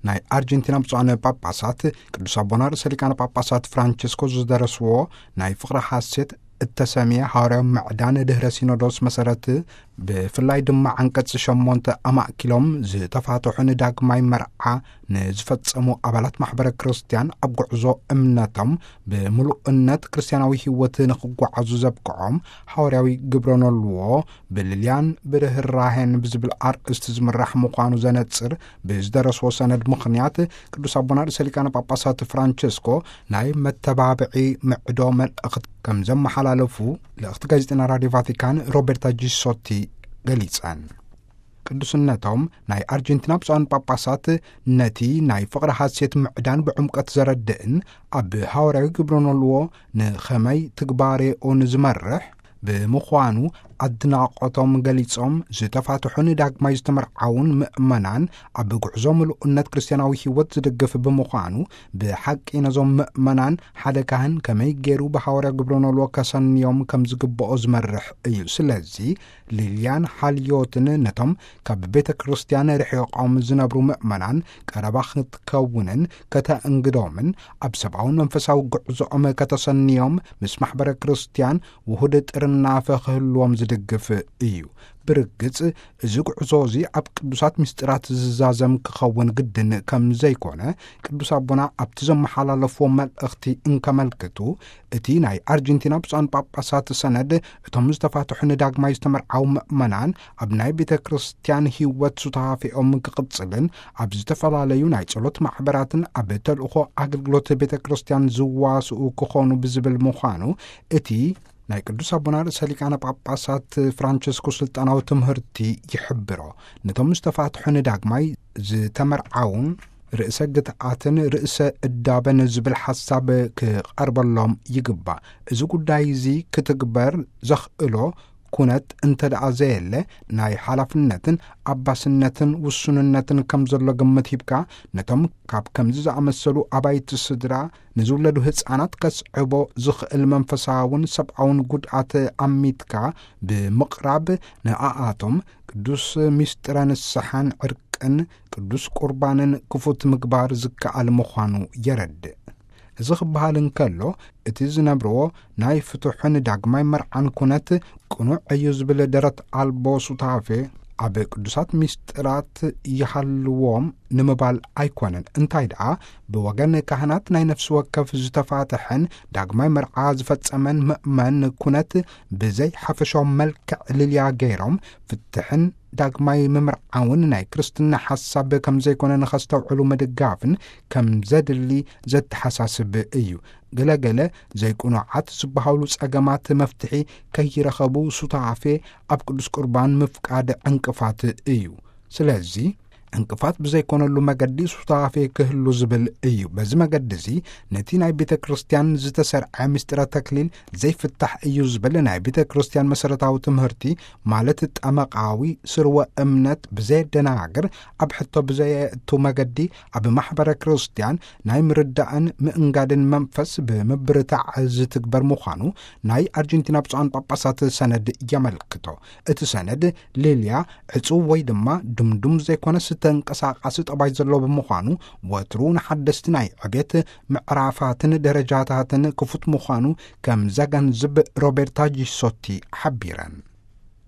ናይ ኣርጀንቲና ብፁዓን ጳጳሳት ቅዱስ ኣቦና ርእሰ ሊቃነ ጳጳሳት ፍራንቸስኮ ዝደረስዎ ናይ ፍቕሪ ሓሴት እተሰምየ ሃዋርያዊ ምዕዳን ድህረ ሲኖዶስ መሰረት፣ ብፍላይ ድማ ዓንቀጽ ሸሞንተ ኣማእኪሎም ዝተፋትሑ ንዳግማይ መርዓ ንዝፈጸሙ ኣባላት ማሕበረ ክርስቲያን፣ ኣብ ጉዕዞ እምነቶም ብምሉእነት ክርስቲያናዊ ህይወት ንኽጓዓዙ ዘብቅዖም ሃዋርያዊ ግብረ ኖልዎ ብልልያን ብርህራሄን ብዝብል ኣርእስቲ ዝምራሕ ምዃኑ ዘነጽር ብዝደረስዎ ሰነድ ምኽንያት፣ ቅዱስ ኣቦና ርእሰ ሊቃነ ጳጳሳት ፍራንቸስኮ ናይ መተባብዒ ምዕዶ መልእኽቲ ከም ዘመሓላለፉ ልእኽቲ ጋዜጠና ራዲዮ ቫቲካን ሮቤርታ ጂሶቲ ገሊጸን። ቅዱስነቶም ናይ ኣርጀንቲና ብፁዓን ጳጳሳት ነቲ ናይ ፍቕሪ ሓሴት ምዕዳን ብዕምቀት ዘረድእን ኣብ ሃዋርያዊ ግብረ ኖልዎ ንኸመይ ትግባሬኡ ንዝመርሕ ብምዃኑ ኣድናቖቶም ገሊጾም፣ ዝተፋትሑን ዳግማይ ዝተመርዓውን ምእመናን ኣብ ጉዕዞ ምሉእነት ክርስትያናዊ ህይወት ዝድግፍ ብምዃኑ፣ ብሓቂ ነዞም ምእመናን ሓደ ካህን ከመይ ገይሩ ብሃዋርያ ግብረ ኖልዎ ከሰንዮም ከም ዝግብኦ ዝመርሕ እዩ። ስለዚ ሊልያን ሓልዮትን ነቶም ካብ ቤተ ክርስቲያን ርሒቖም ዝነብሩ ምእመናን ቀረባ ክትከውንን ከተእንግዶምን ኣብ ሰብኣውን መንፈሳዊ ጉዕዞኦም ከተሰንዮም ምስ ማሕበረ ክርስቲያን ውሁድ ጥርናፈ ክህልዎም ዝድግፍ እዩ። ብርግጽ እዚ ጉዕዞ እዚ ኣብ ቅዱሳት ምስጢራት ዝዛዘም ክኸውን ግድን ከም ዘይኮነ ቅዱስ ኣቦና ኣብቲ ዘመሓላለፍዎ መልእኽቲ እንከመልክቱ፣ እቲ ናይ ኣርጀንቲና ብፁዓን ጳጳሳት ሰነድ እቶም ዝተፋትሑ ንዳግማይ ዝተመርዓው ምእመናን ኣብ ናይ ቤተ ክርስቲያን ህይወት ሱታፌኦም ክቕጽልን ኣብ ዝተፈላለዩ ናይ ጸሎት ማሕበራትን ኣብ ተልእኾ ኣገልግሎት ቤተ ክርስቲያን ዝዋስኡ ክኾኑ ብዝብል ምዃኑ እቲ ናይ ቅዱስ ኣቦና ርእሰ ሊቃነ ጳጳሳት ፍራንቸስኮ ስልጣናዊ ትምህርቲ ይሕብሮ። ነቶም ዝተፋትሑ ንዳግማይ ዝተመርዓውን ርእሰ ግትኣትን ርእሰ እዳበን ዝብል ሓሳብ ክቐርበሎም ይግባእ። እዚ ጉዳይ እዚ ክትግበር ዘኽእሎ ኩነት እንተ ደኣ ዘየለ፣ ናይ ሓላፍነትን ኣባስነትን ውሱንነትን ከም ዘሎ ግምት ሂብካ፣ ነቶም ካብ ከምዚ ዝኣመሰሉ ኣባይቲ ስድራ ንዝውለዱ ህጻናት ከስዕቦ ዝኽእል መንፈሳውን ሰብኣውን ጉድኣት ኣሚትካ ብምቕራብ፣ ንኣኣቶም ቅዱስ ምስጢረ ንስሓን ዕርቅን ቅዱስ ቁርባንን ክፉት ምግባር ዝከኣል ምዃኑ የረድእ። እዚ ክበሃል እንከሎ፣ እቲ ዝነብርዎ ናይ ፍትሕን ዳግማይ መርዓን ኩነት ቅኑዕ እዩ ዝብል ደረት ኣልቦ ሱታፌ ኣብ ቅዱሳት ምስጢራት ይሃልዎም ንምባል ኣይኮነን። እንታይ ደኣ፣ ብወገን ካህናት ናይ ነፍሲ ወከፍ ዝተፋትሐን ዳግማይ መርዓ ዝፈጸመን ምእመን ኩነት ብዘይ ሓፈሻዊ መልክዕ ልልያ ገይሮም ፍትሕን ዳግማይ ምምርዓውን ናይ ክርስትና ሓሳብ ከም ዘይኮነ ንኸስተውዕሉ ምድጋፍን ከም ዘድሊ ዘተሓሳስብ እዩ። ገለገለ ዘይቅኑዓት ዝበሃሉ ጸገማት መፍትሒ ከይረኸቡ ሱታፌ ኣብ ቅዱስ ቁርባን ምፍቃድ ዕንቅፋት እዩ። ስለዚ ዕንቅፋት ብዘይኮነሉ መገዲ ሱታፌ ክህሉ ዝብል እዩ። በዚ መገዲ እዚ ነቲ ናይ ቤተ ክርስቲያን ዝተሰርዐ ምስጢረ ተክሊል ዘይፍታሕ እዩ ዝብል ናይ ቤተ ክርስቲያን መሰረታዊ ትምህርቲ፣ ማለት ጠመቃዊ ስርወ እምነት ብዘየደናግር፣ ኣብ ሕቶ ብዘየእቱ መገዲ ኣብ ማሕበረ ክርስቲያን ናይ ምርዳእን ምእንጋድን መንፈስ ብምብርታዕ ዝትግበር ምዃኑ ናይ ኣርጀንቲና ብፁዓን ጳጳሳት ሰነድ የመልክቶ። እቲ ሰነድ ሊልያ ዕጹው ወይ ድማ ድምዱም ዘይኮነስ ተንቀሳቃሲ ጠባይ ዘለዎ ብምዃኑ፣ ወትሩ ንሓደስቲ ናይ ዕቤት ምዕራፋትን ደረጃታትን ክፉት ምዃኑ ከም ዘገንዝብ ሮቤርታ ጂሶቲ ሓቢረን።